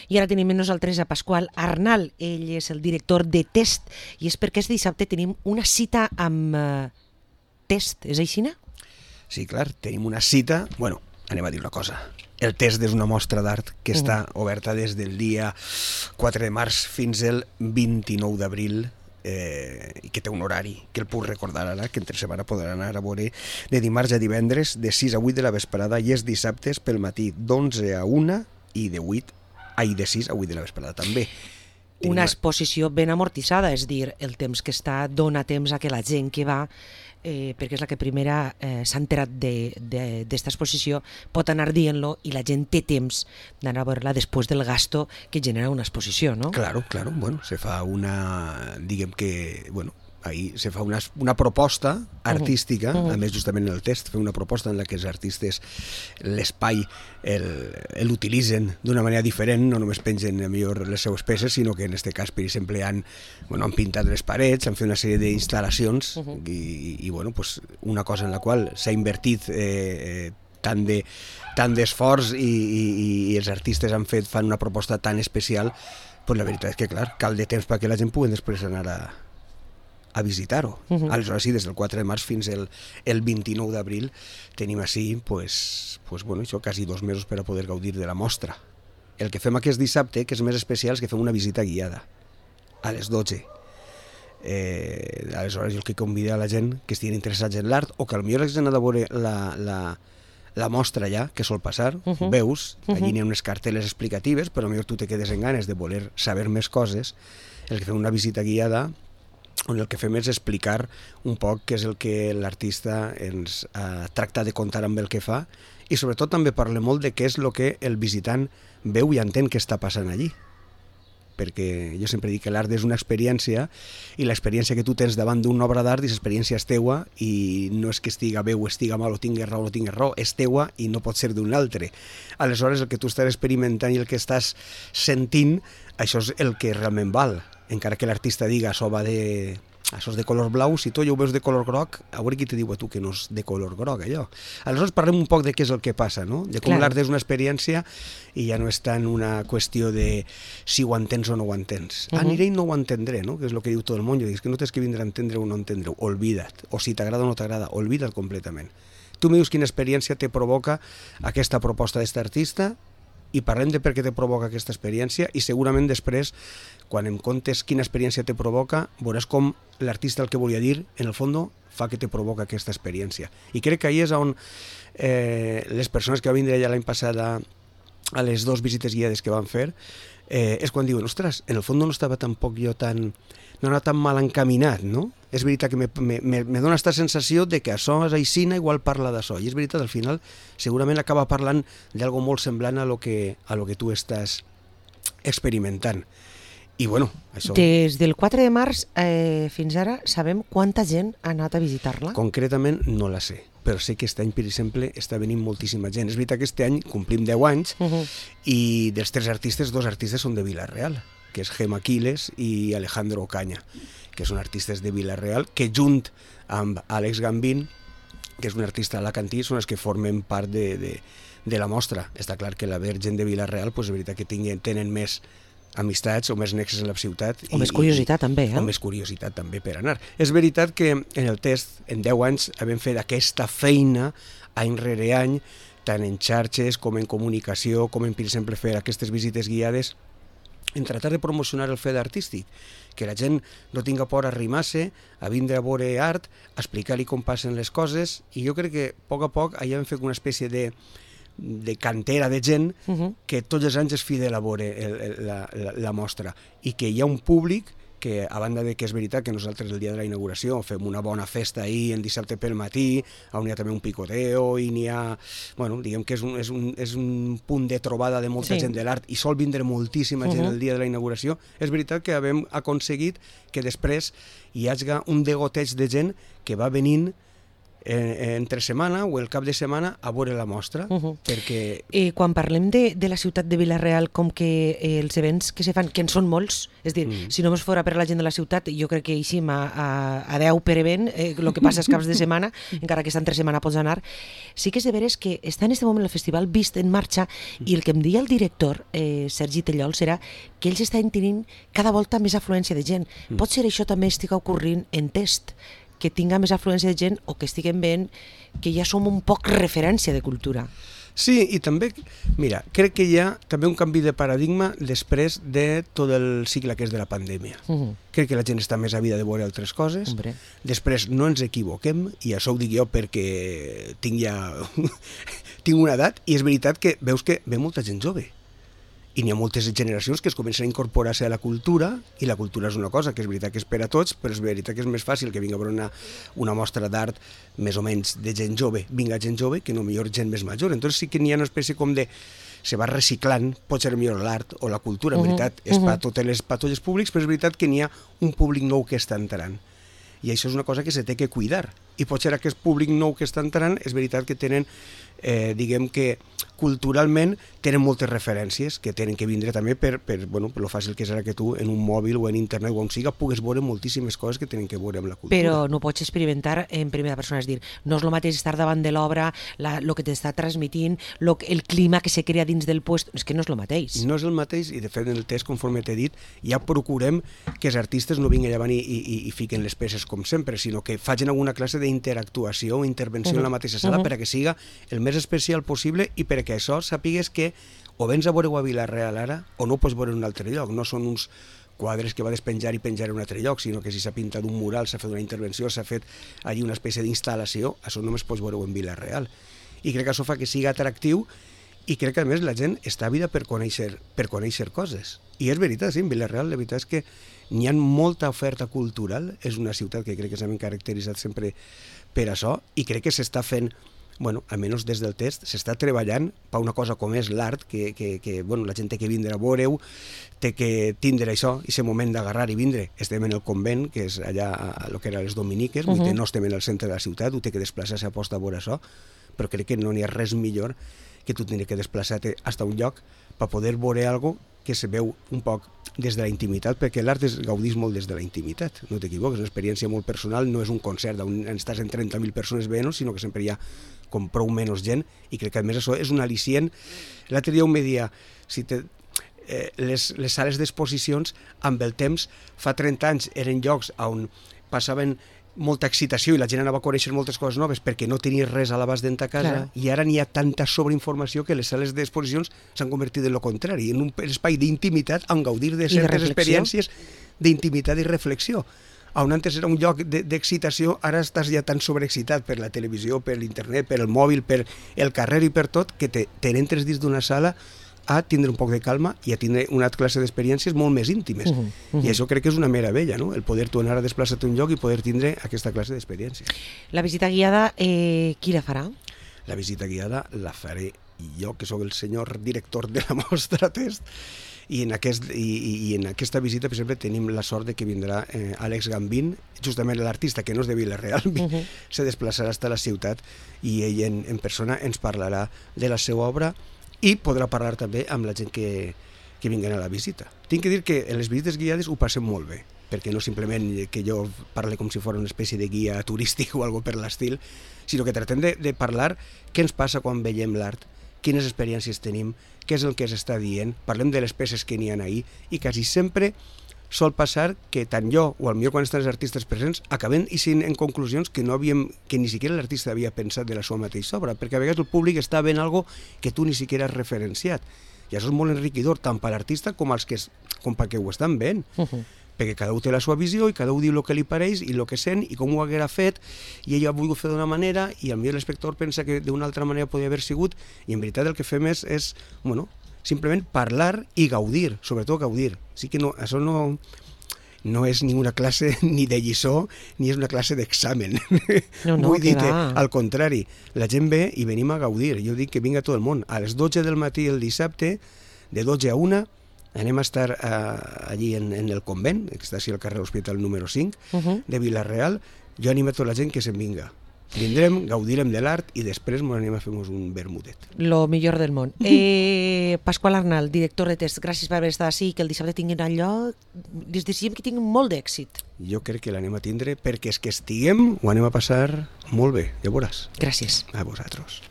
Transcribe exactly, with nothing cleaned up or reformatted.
I ara tenim amb nosaltres a Pasqual Arnal, ell és el director de Test, i és perquè este dissabte tenim una cita amb uh, Test, és així, no? Sí, clar, tenim una cita, bueno, anem a dir una cosa. El Test és una mostra d'art que uh-huh. està oberta des del dia quatre de març fins al vint-i-nou d'abril, eh, i que té un horari que el puc recordar ara, que entre setmana podrà anar a veure de dimarts a divendres de sis a vuit de la vesprada i els dissabtes pel matí d'onze a una i de vuit ai, de sis a vuit de la vesprada també. Tenim una exposició ben amortitzada, és dir, el temps que està dona temps a que la gent que va, eh, perquè és la que primera eh, s'ha enterat d'esta exposició, pot anar dient-lo i la gent té temps d'anar a veure-la després del gasto que genera una exposició, no? Claro, claro, bueno, se fa una, diguem que, bueno, ahí se fa una, una proposta artística, uh -huh. a més justament en el Test, fer una proposta en la que els artistes l'espai l'utilitzen d'una manera diferent, no només pengen a millor les seues peces, sinó que en aquest cas, per exemple, han, bueno, han pintat les parets, han fet una sèrie d'instal·lacions uh -huh. i, i bueno, pues, una cosa en la qual s'ha invertit eh, tant de tant d'esforç i, i, i els artistes han fet, fan una proposta tan especial, pues la veritat és que, clar, cal de temps perquè la gent pugui després anar a a visitar-ho. Uh-huh. Aleshores, sí, des del quatre de març fins el, el vint-i-nou d'abril tenim així, pues, pues, bueno, això, quasi dos mesos per a poder gaudir de la mostra. El que fem aquest dissabte, que és més especial, és que fem una visita guiada a les dotze. Eh, aleshores, jo el que convida a la gent que estiguin interessats en l'art o que potser hagin anat a veure la, la, la mostra ja, que sol passar, uh-huh. veus, allí uh-huh. n'hi ha unes carteles explicatives, però potser tu te quedes en ganes de voler saber més coses. El que fem una visita guiada on el que fem és explicar un poc què és el que l'artista ens eh, tracta de contar amb el que fa i sobretot també parla molt de què és el que el visitant veu i entén què està passant allí. Perquè jo sempre dic que l'art és una experiència i l'experiència que tu tens davant d'una obra d'art i l'experiència és teua i no és que estiga bé o estiga mal o tingues raó o no tingues raó, és teua i no pot ser d'un altre. Aleshores el que tu estàs experimentant i el que estàs sentint, això és el que realment val. Encara que l'artista diga això va de... això és de color blau, si tu ja ho veus de color groc, a veure qui te diu a tu que no és de color groc, allò. Aleshores parlem un poc de què és el que passa, no? De com l'art és una experiència i ja no és tant una qüestió de si ho entens o no ho entens. Uh-huh. Aniré i no ho entendré, no? Que és el que diu tot el món. Jo dic, que no tens que vindre a entendre o no entendre-ho, olvida't. O si t'agrada o no t'agrada, olvida't completament. Tu me dius quina experiència te provoca aquesta proposta d'aquest artista i parlem de per què te provoca aquesta experiència i segurament després, quan em contes quina experiència te provoca, veuràs com l'artista el que volia dir, en el fons, fa que te provoca aquesta experiència. I crec que ahí és on eh, les persones que van vindre allà l'any passat a, a les dues visites guiades que van fer, eh, és quan diuen, ostres, en el fons no estava tampoc jo tan... no era tan mal encaminat, no? És veritat que me, me, me dona aquesta sensació de que això és aixina, igual parla d'això. I és veritat, al final, segurament acaba parlant d'algo molt semblant a lo que, a lo que tu estàs experimentant. I bueno, això... Des del quatre de març eh, fins ara sabem quanta gent ha anat a visitar-la? Concretament no la sé, però sé que aquest any, per exemple, està venint moltíssima gent. És veritat que aquest any complim deu anys uh-huh. i dels tres artistes, dos artistes són de Vila-real, que és Gema Quiles i Alejandro Ocaña, que són artistes de Vila-real, que junt amb Àlex Gambín, que és un artista alacantí, són els que formen part de, de, de la mostra. Està clar que la gent de Vila-real, pues, és veritat que tinguen, tenen més amistats o més nexes en la ciutat. O i, més curiositat i, també, eh? O més curiositat també per anar. És veritat que en el Test, en deu anys, hem fet aquesta feina any rere any, tant en xarxes com en comunicació, com en, per exemple, fer aquestes visites guiades, en tratar de promocionar el fet artístic, que la gent no tinga por a arrimar-se, a vindre a veure art, a explicar-li com passen les coses, i jo crec que a poc a poc allà hem fet una espècie de, de cantera de gent uh-huh. que tots els anys és fidel a veure el, el, la, la, la mostra, i que hi ha un públic que, a banda de que és veritat que nosaltres el dia de la inauguració fem una bona festa ahir, en dissabte pel matí, on hi ha també un picoteo i n'hi ha... Bueno, diguem que és un, és un, és un punt de trobada de molta sí. gent de l'art i sol vindre moltíssima gent uh-huh. el dia de la inauguració. És veritat que hem aconseguit que després hi hagi un degoteig de gent que va venint eh, entre setmana o el cap de setmana a veure la mostra, Uh-huh. perquè... Eh, quan parlem de, de la ciutat de Vila-real, com que eh, els events que se fan, que en són molts, és dir, Mm. si només fora per a la gent de la ciutat, jo crec que eixim a, a, a deu per event, eh, el que passa els caps de setmana, encara que està entre setmana pots anar. Sí que és de veres que està en aquest moment el festival vist en marxa, i el que em deia el director, eh, Sergi Tellols, era que ells estan tenint cada volta més afluència de gent. Mm. Pot ser això també estigui ocorrint en Test, que tinga més afluència de gent o que estiguem veient que ja som un poc referència de cultura. Sí, i també, mira, crec que hi ha també un canvi de paradigma després de tot el cicle que és de la pandèmia. Uh-huh. Crec que la gent està més àvida de veure altres coses. Hombre. Després no ens equivoquem, i això ho dic jo perquè tinc ja tinc una edat, i és veritat que veus que ve molta gent jove. I n'hi ha moltes generacions que es comencen a incorporar-se a la cultura, i la cultura és una cosa que és veritat que és per a tots, però és veritat que és més fàcil que vinga a veure una, una mostra d'art més o menys de gent jove, vinga gent jove, que no millor gent més major. Entonces sí que n'hi ha una espècie com de... se va reciclant, pot ser millor l'art o la cultura, en Uh-huh. veritat, és Uh-huh. per a tots els, per a tots els públics, però és veritat que n'hi ha un públic nou que està entrant. I això és una cosa que se té que cuidar. I pot ser aquest públic nou que està entrant, és veritat que tenen, eh, diguem que culturalment tenen moltes referències que tenen que vindre també per, per, bueno, per lo fàcil que és ara que tu en un mòbil o en internet o on siga pugues veure moltíssimes coses que tenen que veure amb la cultura. Però no pots experimentar en primera persona, és dir, no és el mateix estar davant de l'obra, el que t'està transmitint, lo, el clima que se crea dins del puesto, és que no és el mateix. No és el mateix, i de fet en el test, conforme t'he dit, ja procurem que els artistes no vinguin davant i, i, i fiquen les peces com sempre, sinó que facin alguna classe d'interactuació o intervenció uh-huh. en la mateixa sala uh-huh. perquè siga el més especial possible i perquè això sàpigues que o vens a veure-ho a Vila-real ara o no ho pots veure en un altre lloc. No són uns quadres que va despenjar i penjar en un altre lloc, sinó que si s'ha pintat un mural, s'ha fet una intervenció, s'ha fet allí una espècie d'instal·lació, això només pots veure-ho en Vila-real. I crec que això fa que sigui atractiu i crec que a més la gent està àvida per conèixer, per conèixer coses. I és veritat, sí, en Vila-real la veritat és que n'hi ha molta oferta cultural, és una ciutat que crec que s'ha caracteritzat sempre per això i crec que s'està fent, bueno, almenys des del test, s'està treballant per una cosa com és l'art, que, que, que bueno, la gent té que vindre a veure-ho, té que tindre això, i aquest moment d'agarrar i vindre. Estem en el convent, que és allà a lo que eren les Dominiques, uh-huh. vull dir, no estem en el centre de la ciutat, ho té que desplaçar-se a posta a veure això, però crec que no n'hi ha res millor que tu tindre que desplaçar-te fins a un lloc per poder veure alguna que se veu un poc des de la intimitat, perquè l'art es gaudís molt des de la intimitat, no t'equivoques, és una experiència molt personal, no és un concert on estàs en trenta mil persones veient, sinó que sempre hi ha com prou menys gent, i crec que a més això és un al·licient. L'altre dia me dia, si te, eh, les, les sales d'exposicions amb el temps, fa trenta anys eren llocs on passaven molta excitació i la gent anava a conèixer moltes coses noves perquè no tenia res a l'abast d'entrar a casa, Clar. i ara n'hi ha tanta sobreinformació que les sales d'exposicions s'han convertit en lo contrari, en un espai d'intimitat on gaudir de certes reflexió. experiències d'intimitat i reflexió. On antes era un lloc d'excitació, ara estàs ja tan sobreexcitat per la televisió, per l'internet, per el mòbil, per el carrer i per tot, que te, te n'entres dins d'una sala a tindre un poc de calma i a tindre una classe d'experiències molt més íntimes. Uh-huh, uh-huh. I això crec que és una meravella, no? El poder tornar a desplaçar-te a un lloc i poder tindre aquesta classe d'experiències. La visita guiada, eh, qui la farà? La visita guiada la faré jo, que sóc el senyor director de la mostra test, i en, aquest, i, i en aquesta visita, per exemple, tenim la sort de que vindrà eh, Àlex Gambín, justament l'artista que no és de Vila-real, uh-huh. se desplaçarà fins a la ciutat i ell en, en persona ens parlarà de la seva obra i podrà parlar també amb la gent que, que vinguen a la visita. Tinc que dir que en les visites guiades ho passem molt bé, perquè no simplement que jo parle com si fos una espècie de guia turístic o algo per l'estil, sinó que tractem de, de parlar què ens passa quan veiem l'art, quines experiències tenim, què és el que s'està dient, parlem de les peces que n'hi ha ahí, i quasi sempre sol passar que tant jo o potser quan estan els artistes presents acabem eixint en conclusions que no havíem, que ni siquiera l'artista havia pensat de la seva mateixa obra, perquè a vegades el públic està veient algo que tu ni siquiera has referenciat, i això és molt enriquidor tant per l'artista com als que, com perquè ho estan veient, uh-huh. perquè cada un té la seva visió i cada un diu el que li pareix i el que sent i com ho haguera fet, i ell ha volgut fer d'una manera i potser l'espectador pensa que d'una altra manera podria haver sigut, i en veritat el que fem és, és bueno, simplement parlar i gaudir, sobretot gaudir. Així que no, això no, no és ni una classe ni de lliçó, ni és una classe d'examen. No, no, Vull dir que, va. al contrari, la gent ve i venim a gaudir. Jo dic que vinga tot el món. A les dotze del matí el dissabte, de dotze a una, anem a estar uh, allí en, en el convent, que està així al carrer Hospital número cinc, uh-huh. de Vila-real. Jo animo a tota la gent que se'n vinga, Vindrem, gaudirem de l'art i després ens anem a fer-nos un vermutet. Lo millor del món. Eh, Pasqual Arnal, director de test, gràcies per haver estat així, que el dissabte tinguin allò. Les desitgem que tinguin molt d'èxit. Jo crec que l'anem a tindre perquè és que estiguem, ho anem a passar molt bé, ja veuràs. Gràcies. A vosaltres.